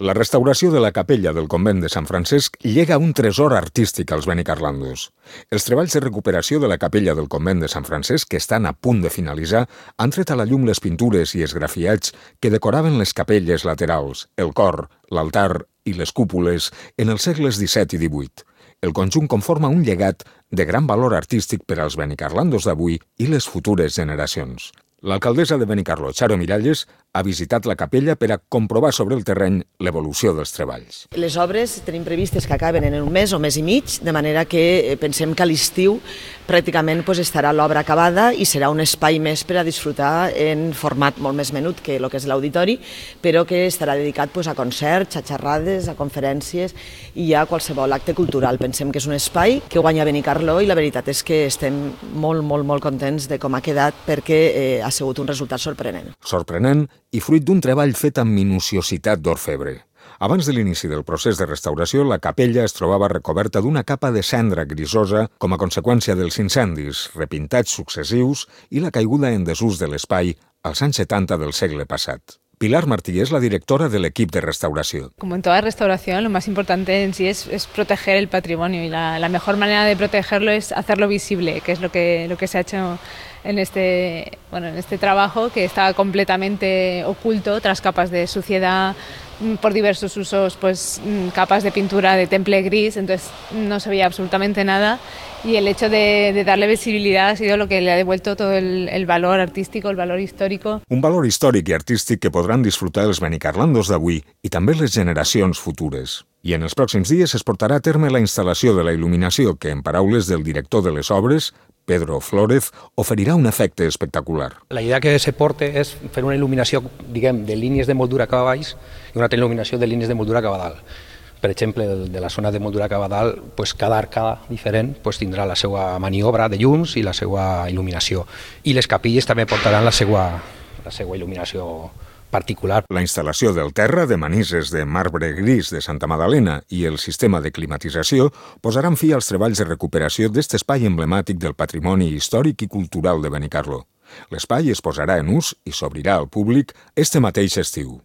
La restauració de la capella del convent de Sant Francesc llega un tresor artístic als benicarlandos. Els treballs de recuperació de la capella del convent de Sant Francesc, que estan a punt de finalitzar, han tret a la llum les pintures i esgrafiats que decoraven les capelles laterals, el cor, l'altar i les cúpules en els segles XVII i XVIII. El conjunt conforma un llegat de gran valor artístic per als benicarlandos d'avui i les futures generacions. L'alcaldessa de Benicarló, Charo Miralles, ha visitat la capella per a comprovar sobre el terreny l'evolució dels treballs. Les obres tenim previstes que acaben en un mes o mes i mig, de manera que pensem que a l'estiu pràcticament estarà l'obra acabada i serà un espai més per a disfrutar en format molt més menut que el que és l'auditori, però que estarà dedicat a concerts, a xerrades, a conferències i a qualsevol acte cultural. Pensem que és un espai que guanya Benicarló i la veritat és que estem molt contents de com ha quedat perquè ha sigut un resultat sorprenent. Sorprenent i fruit d'un treball fet amb minuciositat d'orfebre. Abans de l'inici del procés de restauració, la capella es trobava recoberta d'una capa de cendra grisosa com a conseqüència dels incendis, repintats successius i la caiguda en desús de l'espai als anys 70 del segle passat. Pilar Martí es la directora del equipo de restauración. Como en toda restauración, lo más importante en sí es proteger el patrimonio y la mejor manera de protegerlo es hacerlo visible, que es lo que se ha hecho en este trabajo, que estaba completamente oculto tras capas de suciedad por diversos usos, capas de pintura de temple gris, entonces no se veía absolutamente nada y el hecho de darle visibilidad ha sido lo que le ha devuelto todo el valor artístico, el valor histórico. Un valor històric i artístic que podran disfrutar els benicarlandos d'avui i també les generacions futures. I en els pròxims dies es portarà a terme la instal·lació de la il·luminació que, en paraules del director de les obres, Pedro Flórez, oferirà un efecte espectacular. La idea que se porte és fer una il·luminació, diguem, de línies de moldura cap a baix i una altra il·luminació de línies de moldura cap a dalt. Per exemple, de la zona de moldura cap a dalt, cada arcada diferent tindrà la seva maniobra de llums i la seva il·luminació. I les capilles també portaran la seva il·luminació particular. La instal·lació del terra de manises de marbre gris de Santa Magdalena i el sistema de climatització posaran fi als treballs de recuperació d'aquest espai emblemàtic del patrimoni històric i cultural de Benicarló. L'espai es posarà en ús i s'obrirà al públic este mateix estiu.